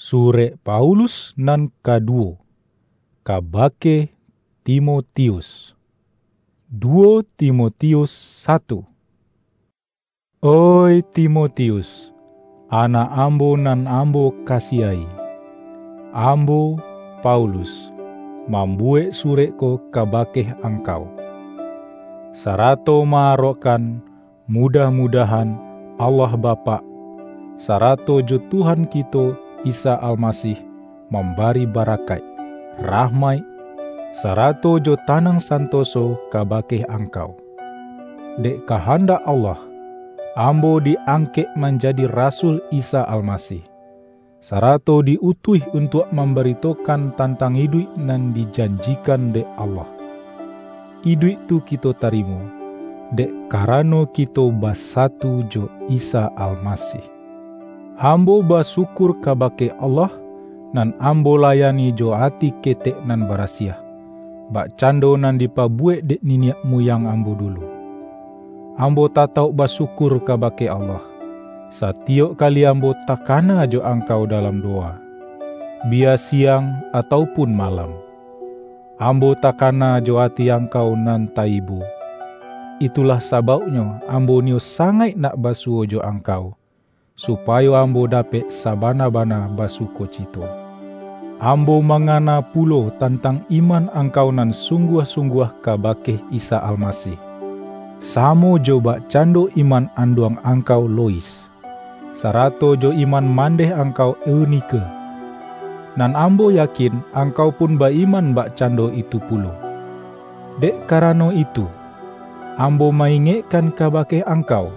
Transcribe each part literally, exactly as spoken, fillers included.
Surek Paulus nan kaduwo, kabake Timotius. Duwo Timotius satu. Oih Timotius, anak ambo nan ambo kasiahi, ambo, Paulus, mambuwek surek ko kabake angkau, sarato ma-arokkan, mudah-mudahan Allah Bapak, sarato jo Tuhan kito Isa Almasih, mambari barakaik, rahmaik, sarato jo tanang santoso kabake angkau. Dek kahandak Allah, ambo di-angkek manjadi rasul Isa Almasih, sarato di-utuih untuak mambaritokan tantang iduik nan dijanjikan dek Allah. Iduik tu kito tarimo, dek karano kito basatu jo Isa Almasih. Ambo basyukur kabake Allah, nan ambo layani jo ati ketek nan barasiah, bakcando nan dipabuwek dek niniak muyang ambo dulu. Ambo tatauk basyukur kabake Allah, satiyok kali ambo takana jo angkau dalam dowa, biya siang atau pun malam. Ambo takana jo ati angkau nan taibo. Itulah sabauknyo ambo niyo sangaik nak basuwo jo angkau, supayo ambo dapek sabana-bana basukocito. Ambo mangana pulo tantang iman angkau nan sungguah-sungguah kabake Isa Almasih, samo jo bakcando iman anduang angkau Lois, sarato jo iman mandeh angkau Eunike. Nan ambo yakin angkau pun ba-iman bakcando itu pulo. Dek karano itu, ambo ma-ingekkan kabake angkau,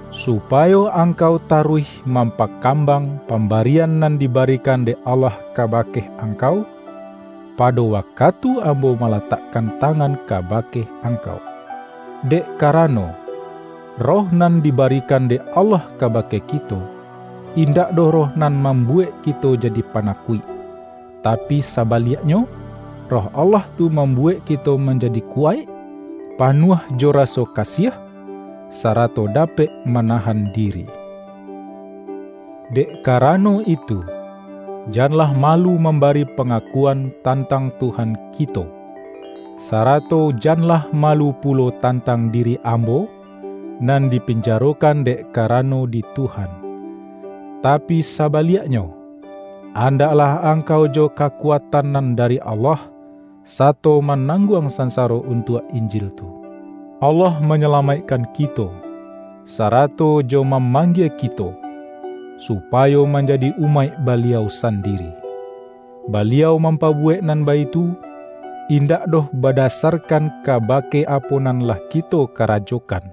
supayo angkau taruih mampakambang pambarian nan dibarikan dek Allah kabake angkau, pado wakatu ambo malatakkan tangan kabake angkau. Dek karano, Roh nan dibarikan dek Allah kabake kito, indak doh Roh nan mambuwek kito jadi panakuik, tapi sabaliaknyo, Roh Allah tu mambuwek kito manjadi kuwaik, panuah jo raso kasiah, sarato dapek manahan diri. Dek karano itu, janlah malu mambari pangakuan tantang Tuhan kito, sarato janlah malu pulo tantang diri ambo, nan dipinjarokan dek karano di Tuhan. Tapi sabaliaknyo, andaklah angkau jo kakuatan nan dari Allah, sato manangguang sansaro untuak Injil tu. Allah manyalamaikkan kito, sarato jo mamanggie kito, supayo manjadi umaik Baliau sandiri. Baliau mampabuwek nan baitu, indak doh badasarkan kabake apo nan lah kito karajokan,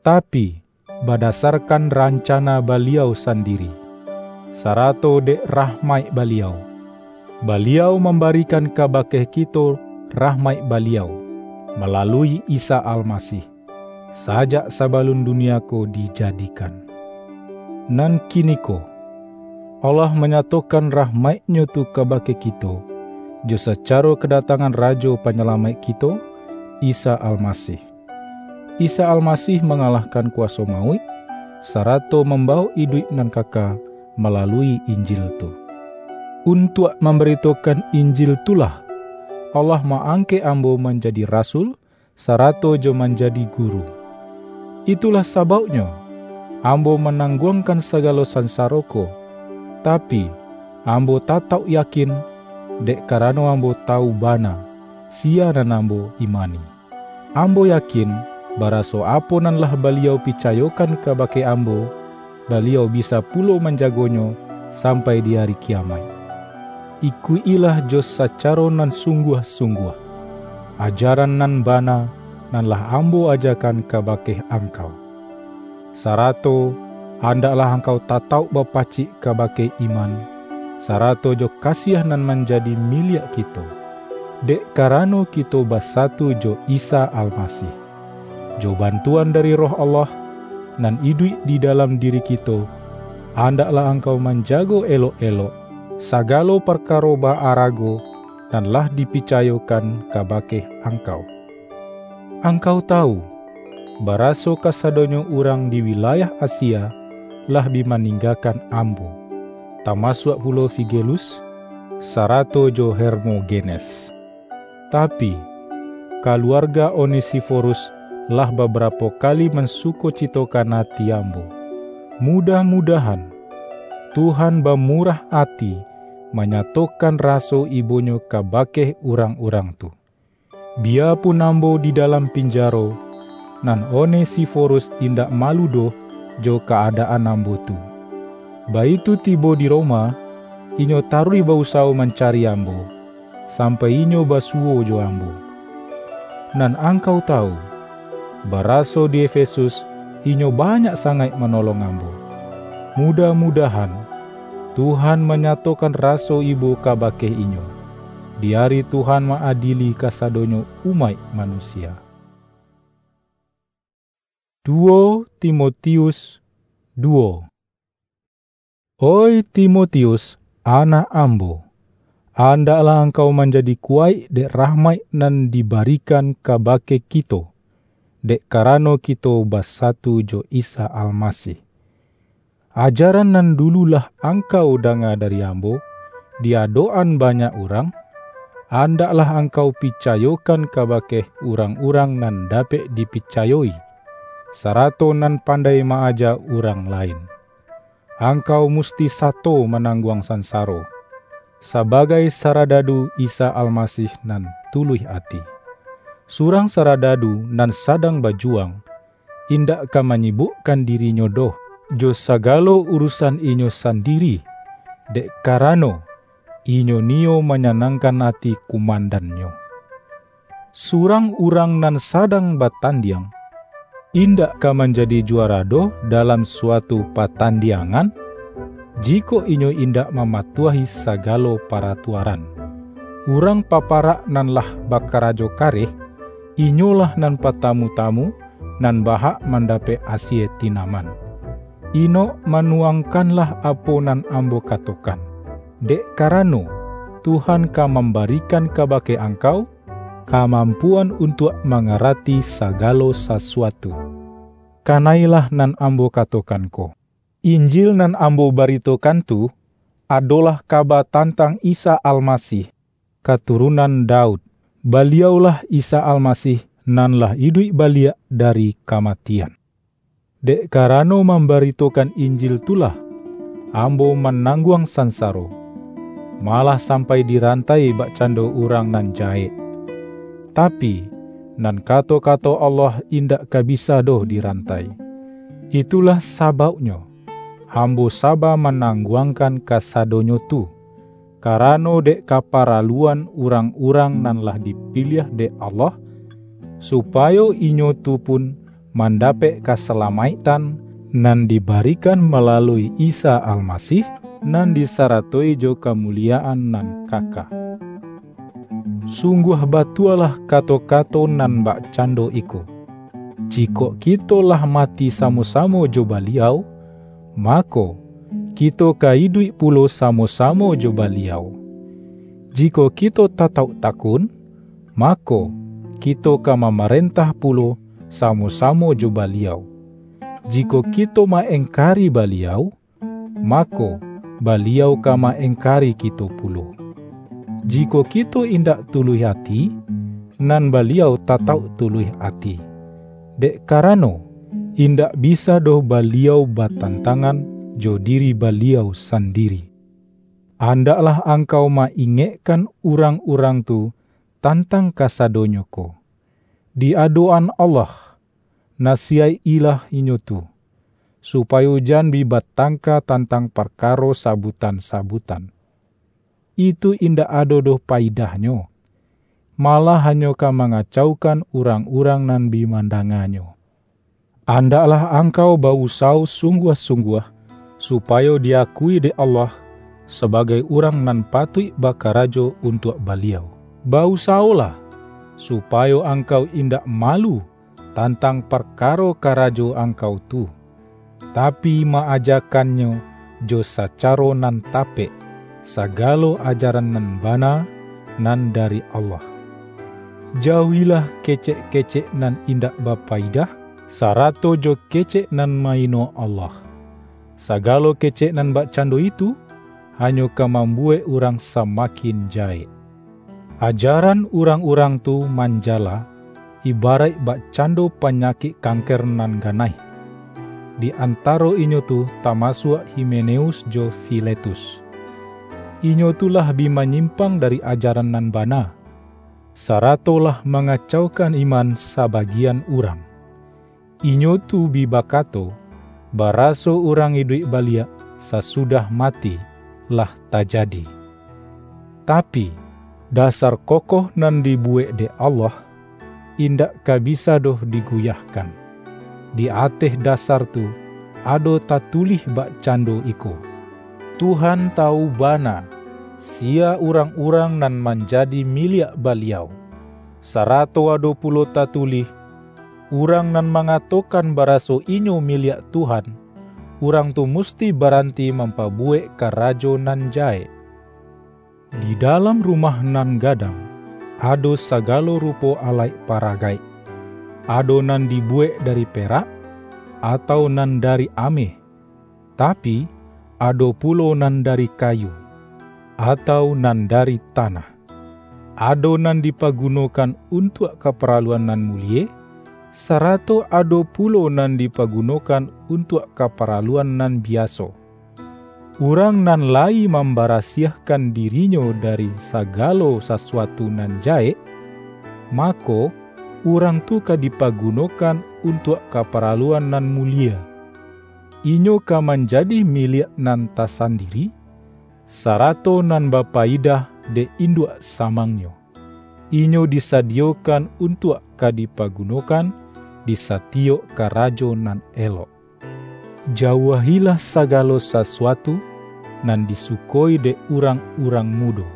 tapi, badasarkan rancana Baliau sandiri, sarato dek rahmaik Baliau, Baliau mambarikan kabake kito rahmaik Baliau, malalui Isa Almasih, sajak sabalun dunia ko dijadikan. Nan kiniko, Allah manyatokan rahmaik-Nyo tu kabake kito, jo sacaro kadatangan Rajo Panyalamaik kito, Isa Almasih. Isa Almasih mangalahkan kuwaso mauik, sarato mambawok iduik nan kaka malalui Injil tu. Untuak mambaritokan Injil tu lah, Allah ma-angkek ambo manjadi rasul, sarato jo manjadi guru. Itulah sabauknyo, ambo manangguangkan sagalo sansaro ko, tapi, ambo tatauk yakin, dek karano ambo tawu bana, siya nan ambo imani. Ambo yakin, baraso apo nan lah Baliau picayokan kabake ambo, Baliau bisa pulo manjagonyo sampai di ari kiyamaik. Ikuik-ilah jo sacaro nan sungguah-sungguah, ajaran nan bana nan lah ambo ajakan kabake angkau. Sarato, andaklah angkau tatauk bapacik kabake iman, sarato jo kasiah nan manjadi miliak kito, dek karano kito basatu jo Isa Almasih. Jo bantuan dari Roh Allah, nan iduik di dalam diri kito, andaklah angkau manjago elok-elok, sagalo parkaro ba-arago nan lah dipicayokan kabake angkau. Angkau tawu, baraso kasadonyo urang di wilayah Asia lah bi maninggakan ambo, tamasuak pulo Figelus, sarato jo Hermogenes. Tapi, kaluarga Onesiforus lah babarapo kali mansukocitokan ati ambo. Mudah-mudahan, Tuhan bamurah ati manyatokan raso ibonyo kabake urang-urang tu. Biyapun ambo di dalam pinjaro, nan Onesiforus indak malu doh jo ka-adaan ambo tu. Baitu tibo di Roma, inyo taruih ba-usawo mancari ambo, sampai inyo basuwo jo ambo. Nan angkau tawu, baraso di Efesus inyo banyak sangaik manolong ambo. Mudah-mudahan, Tuhan manyatokan raso ibo kabake inyo, di ari Tuhan ma-adili kasadonyo umaik manusia. Duo Timotius duo. Oi Timotius, anak ambo, andaklah angkau manjadi kuwaik dek rahmaik nan dibarikan kabake kito, dek karano kito basatu jo Isa Almasih. Ajaran nan dulu lah angkau danga dari ambo, di adok-an banyak urang, andaklah angkau picayokan kabake urang-urang nan dapek dipicayo-i, sarato nan pandai ma-aja urang lain. Angkau musti sato manangguang sansaro, sabagai saradadu Isa Almasih nan tuluih ati. Surang saradadu nan sadang bajuwang, indak ka manyibukkan dirinyo doh jo sagalo urusan inyo sandiri, dek karano inyo niyo manyanangkan ati kumandannyo. Surang urang nan sadang batandiang, indak ka manjadi juwara doh dalam suatu patandiangan, jikok inyo indak mamatuahi sagalo paratuaran. Urang paparak nan lah bakarajo kareh, inyolah nan patamu-tamu nan bahak mandapek asie tinaman. Inok manuwangkanlah apo nan ambo katokan, dek karano, Tuhan ka mambarikan kabake angkau kamampuan untuak mangarati sagalo sasuatu. Kanailah nan ambo katokan ko. Injil nan ambo baritokan tu, adolah kaba tantang Isa Almasih, katurunan Daud. Baliau-lah Isa Almasih nan lah iduik baliak dari kamatian. Dek karano mambaritokan Injil tu lah, ambo manangguang sansaro, malah sampai dirantai bakcando urang nan jahek. Tapi, nan kato-kato Allah indak ka bisa doh dirantai. Itulah sabauknyo, ambo saba manangguangkan kasadonyo tu, karano dek kaparaluan urang-urang nan lah dipiliah dek Allah, supayo inyo tu pun mandapek kasalamaiktan nan dibarikan malalui Isa Almasih, nan disaratoi jo kamuliyaan nan kaka. Sungguah batualah kato-kato nan bakcando iko, "Jikok kito lah mati samo-samo jo Baliau, mako, kito ka iduik pulo samo-samo jo Baliau. Jikok kito tatauk takun, mako, kito ka mamarentah pulo samo-samo jo Baliau. Jikok kito ma-engkari Baliau, mako, Baliau ka ma-engkari kito pulo. Jikok kito indak tuluih ati, nan Baliau tatauk tuluih ati, dek karano, indak bisa doh Baliau batantangan jo diri Baliau sandiri." Andaklah angkau ma-ingekkan urang-urang tu tantang kasadonyo ko. Di adok-an Allah, nasiyaik-ilah inyo tu, supayo jan bi batangka tantang parkaro sabutan-sabutan. Itu indak ado doh paidahnyo, malah hanyo ka mangacaukan urang-urang nan bi mandanganyo. Andaklah angkau ba-usawo sungguah-sungguah, supayo di-akui dek Allah sabagai urang nan patuik bakarajo untuak Baliau. Ba-usawolah, supayo angkau indak malu tantang parkaro karajo angkau tu, tapi, ma-ajakannyo jo sacaro nan tapek, sagalo ajaran nan bana nan dari Allah. Jauahilah kecek-kecek nan indak bapaidah, sarato jo kecek nan ma-ino Allah. Sagalo kecek nan bakcando itu, hanyo ka mambuwek urang samakin jahek. Ajaran urang-urang tu manjala, ibaraik bakcando panyakik kanker nan ganai. Di antaro inyo tu tamasuak Himeneus jo Filetus. Inyo tu lah bi manyimpang dari ajaran nan bana, sarato lah mangacaukan iman sabagian urang. Inyo tu bi bakato, baraso urang iduik baliak sasudah mati lah tajadi. Tapi, dasar kokoh nan dibuwek dek Allah, indak ka bisa doh diguyahkan. Di ateh dasar tu, ado tatulih bakcando iko, "Tuhan tawu bana, siya urang-urang nan manjadi miliak Baliau." Sarato ado pulo tatulih, "Urang nan mangatokan baraso inyo miliak Tuhan, urang tu musti baranti mampabuwek karajo nan jahek." Di dalam rumah nan gadang, ado sagalo rupo alaik paragaik. Ado nan dibuwek dari perak, atau nan dari ameh, tapi, ado pulo nan dari kayu, atau nan dari tanah. Ado nan dipagunokan untuak kaparaluan nan mulie, sarato ado pulo nan dipagunokan untuak kaparaluan nan biaso. Urang nan layi mambarasiahkan dirinyo dari sagalo sasuatu nan jahek, mako, urang tu ka dipagunokan untuak kaparaluan nan mulie. Inyo ka manjadi miliak nan tasandiri, sarato nan bapayidah dek induak samangnyo. Inyo disadiyokan untuak ka dipagunokan di satiyok karajo nan elok. Jauahilah sagalo sasuatu nan disukoi dek urang-urang mudo.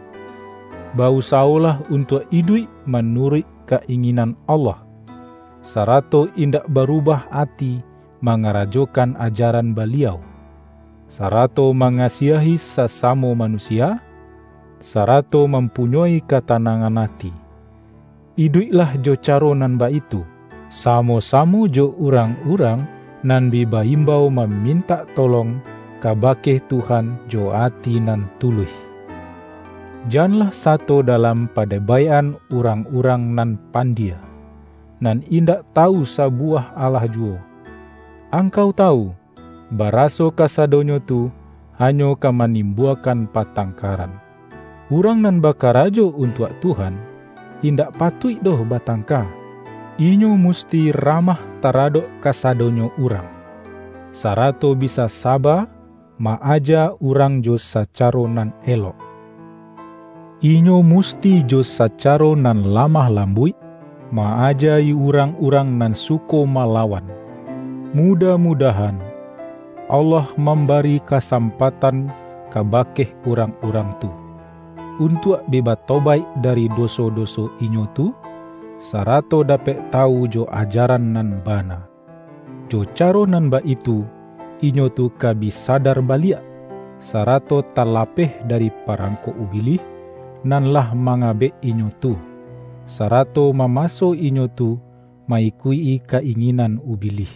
Bausawolah untuak iduik manuruik ka-inginan Allah, sarato indak barubah ati mangarajokan ajaran Baliau, sarato mangasiahi sasamo manusia, sarato mampunyoi katanangan ati. Iduiklah jo caro nan baitu, samo-samo jo urang-urang nan bi baimbau mamintak tolong kabake Tuhan jo ati nan tuluih. Janlah sato dalam padebaikan urang-urang nan pandie, nan indak tawu sabuwah alah juwo. Angkau tawu, baraso kasadonyo tu hanyo ka manimbuakan patangkaran. Urang nan bakarajo untuak Tuhan, indak patuik doh batangka. Inyo musti ramah taradok kasadonyo urang, sarato bisa saba ma-aja urang jo sacaro nan elok. Inyo musti jo sacaro nan lamah lambuik ma-aja-i urang-urang nan suko malawan. Mudah-mudahan, Allah mambari kasampatan kabake urang-urang tu, untuak bi batobaik dari doso-doso inyo tu, sarato dapek tawu jo ajaran nan bana. Jo caro nan baitu, inyo tu ka bi sadar baliak, sarato talapeh dari parangko Ubilih nan lah mangabek inyo tu, sarato mamaso inyo tu ma-ikuik-i ka-inginan Ubilih.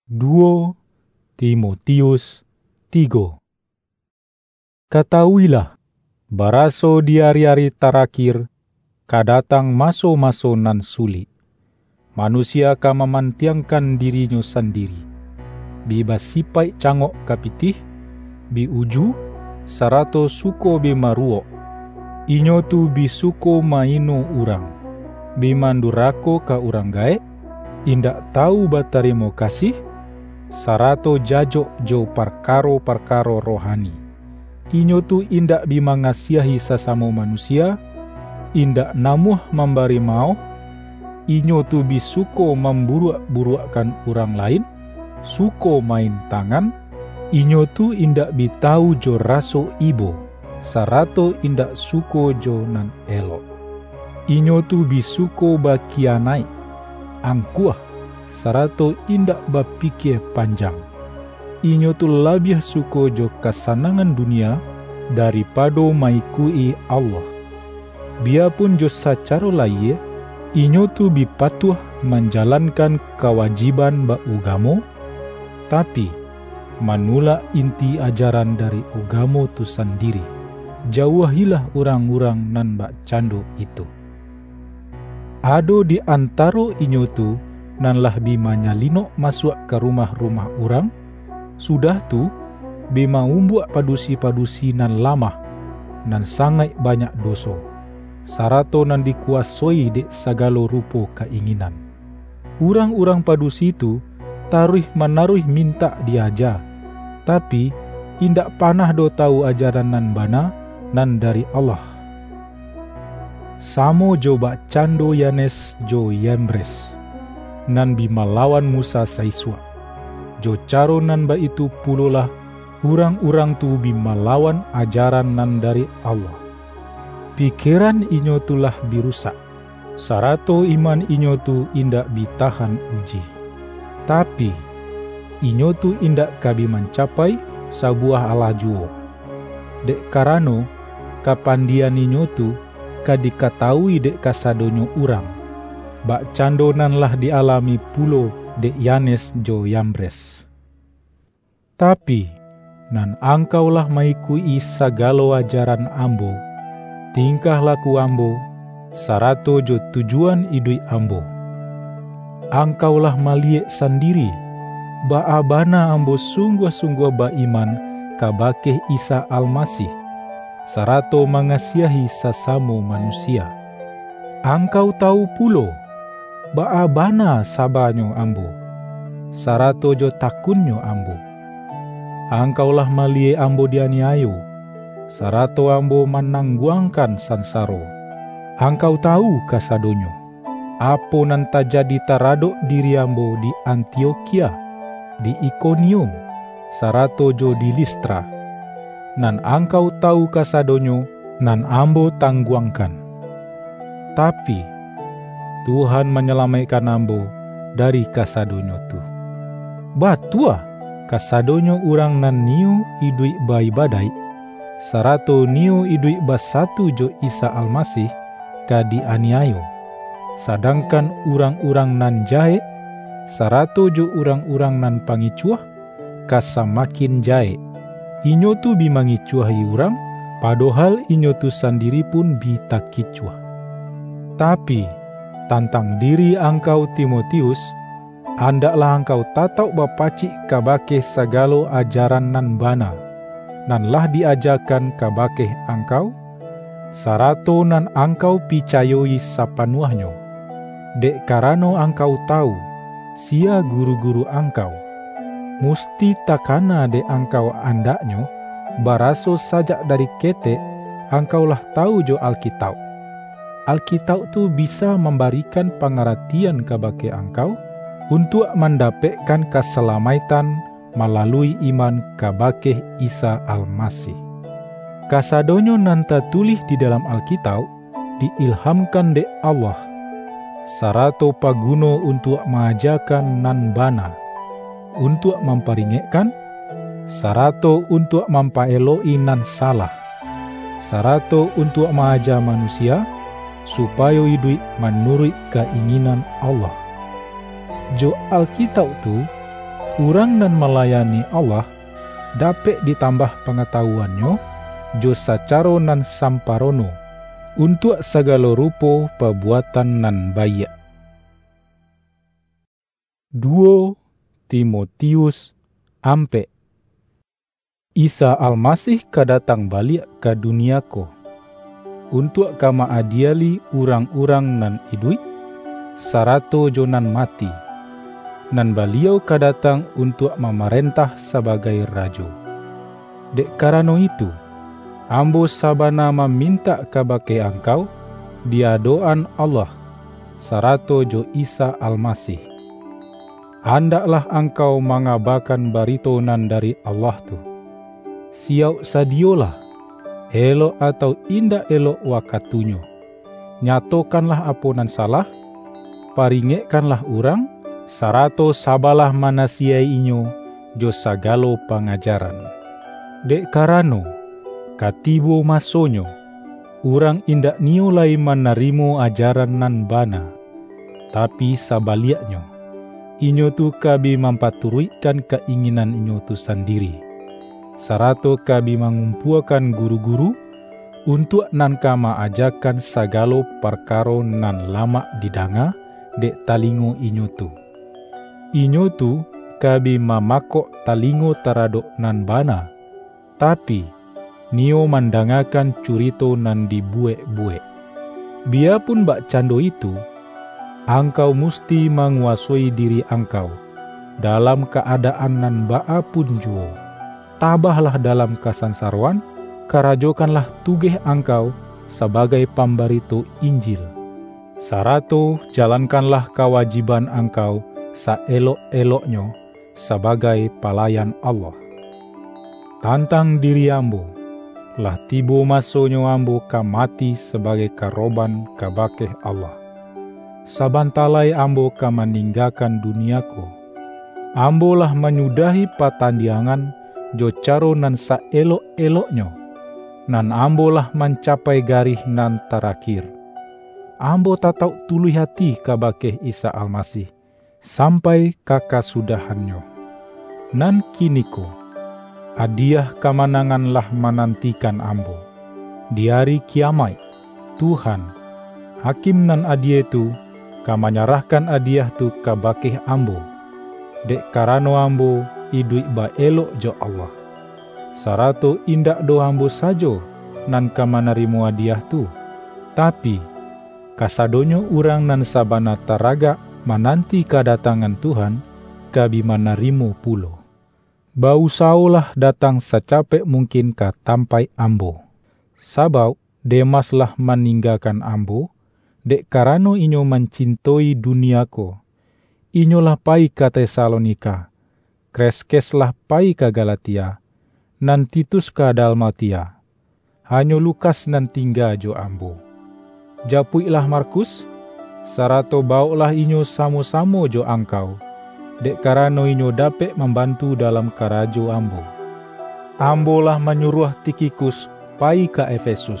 Duo Timotius tigo. Katawuilah, baraso di ari-ari tarakhir ka datang maso-maso nan sulik. Manusia ka mamantiangkan dirinyo sandiri, bi basipaik cangok ka pitih, bi uju, sarato suko bi maruwok. Inyo tu bi suko ma-ino urang, bi mandurako ka urang gaek, indak tawu batarimo kasih, sarato jajok jo parkaro-parkaro rohani. Inyo tu indak bi mangasiahi sasamo manusia, indak namuah mambari maoh, inyo tu bi suko mamburuak-buruakkan urang lain, suko main tangan, inyo tu indak bi tawu jo raso ibo, sarato indak suko jo nan elok. Inyo tu bi suko bakiyanaik, angkuah, sarato indak bapikia panjang. Inyo tu labiah suko jo kasanangan dunia daripado ma-ikuik-i Allah. Biyapun jo sacaro lahia, inyo tu bi patuah manjalankan kawajiban baugamo, tapi, manulak inti ajaran dari ugamo tu sandiri. Jauahilah urang-urang nan bakcando itu. Ado di antaro inyo tu nan lah bi manyalinok masuak ka rumah-rumah urang, sudah tu, bi maumbuak padusi-padusi nan lamah, nan sangaik banyak doso, sarato nan dikuasoi dek sagalo rupo ka-inginan. Urang-urang padusi tu taruih-manaruih mintak di-aja, tapi, indak panah doh tawu ajaran nan bana, nan dari Allah. Samo jo bakcando Yanes jo Yambres, nan bi malawan Musa saisuak. Jo caro nan baitu pulolah urang-urang tu bi malawan ajaran nan dari Allah. Pikeran inyo tu lah bi rusak, sarato iman inyo tu indak bi tahan uji. Tapi, inyo tu indak ka bi mancapai sabuwah alah juwo, dek karano, kapandian inyo tu ka dikatawui dek kasadonyo urang, bakcando nan lah di-alami pulo dek Yanes jo Yambres. Tapi, nan angkau lah ma-ikuik-i sagalo ajaran ambo, tingkah laku ambo, sarato jo tujuan iduik ambo. Angkau lah maliyek sandiri, baa bana ambo sungguah-sungguah ba-iman kabake Isa Almasih, sarato mangasiahi sasamo manusia. Angkau tawu pulo, baa bana sabanyo ambo, sarato jo takunnyo ambo. Angkau lah maliyek ambo dianiayo, sarato ambo manangguangkan sansaro. Angkau tawu kasadonyo, apo nan tajadi taradok diri ambo di Antiokhia, di Ikonium, sarato jo di Listra. Nan angkau tawu kasadonyo, nan ambo tangguangkan. Tapi, Tuhan manyalamaikkan ambo dari kasadonyo tu. Batua, kasadonyo urang nan niyo iduik ba-ibadaik, sarato niyo iduik basatu jo Isa Almasih, ka di-aniayo, sadangkan urang-urang nan jahek, sarato jo urang-urang nan pangicuah, ka samakin jahek. Inyo tu bi mangicuahi urang, padohal inyo tu sandiri pun bi takicuah. Tapi, tantang diri angkau, Timotius, andaklah angkau tatauk bapacik kabake sagalo ajaran nan bana, nan lah di-ajakan kabake angkau, sarato nan angkau picayo-i sapanuahnyo, dek karano angkau tawu, siya guru-guru angkau. Musti takana dek angkau andaknyo, baraso sajak dari ketek angkau lah tawu jo Alkitauk. Alkitauk tu bisa mambarikan pangaratian kabake angkau, untuak mandapekkan kasalamaiktan malalui iman kabake Isa Almasih. Kasadonyo nan tatulih di dalam Alkitauk diilhamkan dek Allah, sarato paguno untuak maajakan nan bana, untuak mamparingekkan, sarato untuak mampaelok-i nan salah, sarato untuak maaja manusia, supayo iduik manuruik ka-inginan Allah. Jo Alkitauk tu, urang nan malayani Allah dapek ditambah pangatawuannyo jo sacaro nan samparono, untuak sagalo rupo pabuatan nan baiak. Duo Timotius ampek. Isa Almasih ka datang baliak ka dunia ko, untuak ka ma-adieli urang-urang nan iduik, sarato jo nan mati, nan Baliau ka datang untuak mamarentah sabagai Rajo. Dek karano itu, ambo sabana mamintak kabake angkau, di adok-an Allah, sarato jo Isa Almasih, andaklah angkau mangabakan barito nan dari Allah tu. Siyauk sadiyolah, elok atau indak elok wakatunyo. Nyatokanlah apo nan salah, paringekkanlah urang, sarato sabalah manasiyaik inyo jo sagalo pangajaran. Dek karano, ka tibo masonyo, urang indak niyo lai manarimo ajaran nan bana, tapi sabaliaknyo, inyo tu ka bi mampaturuikkan ka-inginan inyo tu sandiri, sarato ka bi mangumpuakan guru-guru, untuak nan ka ma-ajakan sagalo parkaro nan lamak didanga dek talingo inyo tu. Inyo tu ka bi mamakok talingo taradok nan bana, tapi, niyo mandangakan curito nan dibuwek-buwek. Biyapun bakcando itu, angkau musti manguwasoi diri angkau, dalam ka-adaan nan baa pun juwo. Tabahlah dalam kasansaroan, karajokanlah tugeh angkau sabagai pambarito Injil, sarato jalankanlah kawajiban angkau saelok-eloknyo sabagai palayan Allah. Tantang diri ambo, lah tibo masonyo ambo ka mati sabagai karoban kabake Allah. Sabanta lai ambo ka maninggakan dunia ko. Ambo lah manyudahi patandiangan jo caro nan saelok-eloknyo, nan ambo lah mancapai garih nan tarakhir. Ambo tatauk tuluih ati kabake Isa Almasih, sampai ka kasudahannyo. Nan kiniko, adiah kamanangan lah manantikan ambo. Di ari kiyamaik, Tuhan, Hakim nan adie tu, ka manyarahkan adiah tu kabake ambo, dek karano ambo iduik baelok jo Allah. Sarato indak doh ambo sajo nan ka manarimo adiah tu, tapi, kasadonyo urang nan sabana taragak mananti kadatangan Tuhan, ka bi manarimo pulo. Ba-usawolah datang sacapek mungkin ka tampaik ambo, sabauk Demas lah maninggakan ambo, dek karano inyo mancintoi dunia ko. Inyo lah payi ka Tesalonika, Kreskes lah payi ka Galatia, nan Titus ka Dalmatia. Hanyo Lukas nan tingga jo ambo. Japuiklah Markus, sarato bawoklah inyo samo-samo jo angkau, dek karano inyo dapek mambantu dalam karajo ambo. Ambo lah manyuruah Tikhikus payi ka Efesus.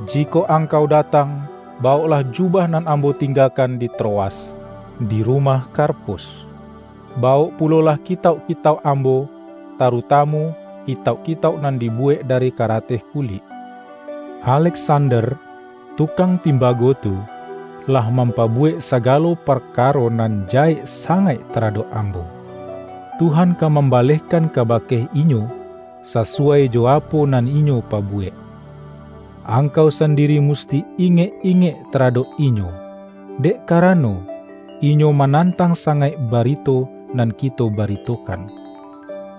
Jikok angkau datang, bawoklah jubah nan ambo tinggakan di Troas, di rumah Karpus. Bawok pulolah kitauk-kitauk ambo, tarutamu kitauk-kitauk nan dibuwek dari karateh kulik. Aleksander, tukang timbago tu, lah mampabuwek sagalo parkaro nan jahek sangaik taradok ambo. Tuhan ka mambalehkan kabake inyo sasuwai jo apo nan inyo pabuwek. Angkau sandiri musti ingek-ingek taradok inyo, dek karano, inyo manantang sangaik barito nan kito baritokan.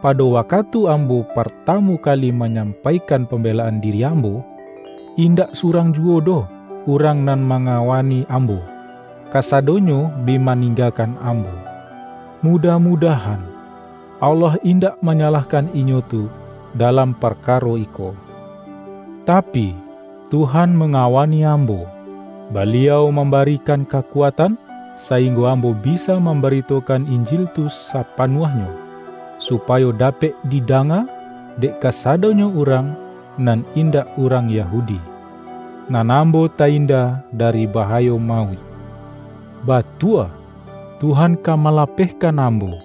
Pado wakatu ambo partamu kali manyampaikan pambelaan diri ambo, indak surang juwo doh urang nan mangawani ambo, kasadonyo bi maninggakan ambo. Mudah-mudahan, Allah indak manyalahkan inyo tu dalam parkaro iko. Tapi, Tuhan mangawani ambo. Baliau mambarikan kakuatan, sainggo ambo bisa mambaritokan Injil tu sapanuahnyo, supayo dapek didanga dek kasadonyo urang nan indak urang Yahudi, nan ambo tainda dari bahayo mauik. Batua, Tuhan ka malapehkan ambo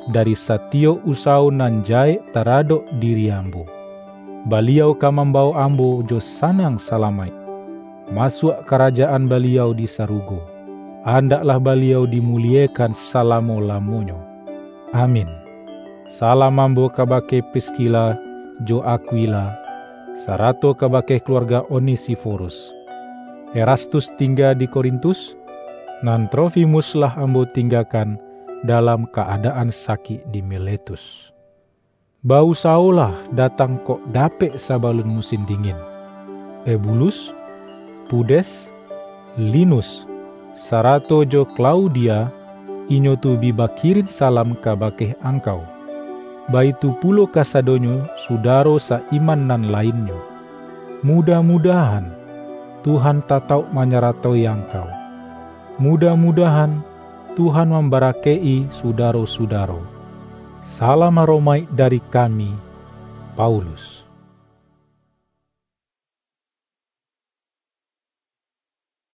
dari satiyok usawo nan jahek taradok diri ambo. Baliau ka mambawok ambo jo sanang salamaik masuak karajaan Baliau di sarugo. Andaklah Baliau dimuliekan salamo-lamonyo. Amin. Salam ambo kabake Priskila jo Akwila, sarato kabake kaluarga Onesiforus. Erastus tingga di Korintus, nan Trofimus lah ambo tinggakan dalam kaadaan sakik di Miletus. Ba-usawolah datang kok dapek sabalun musin dingin. Ebulus, Pudes, Linus, sarato jo Klaudia, inyo tu bi bakirin salam kabake angkau. Baitu pulo kasadonyo sudaro sa-iman nan lainnyo. Mudah-mudahan, Tuhan tatauk manyaratoi angkau. Mudah-mudahan, Tuhan mambarakaik-i sudaro-sudaro. Salam aromaik dari kami, Paulus.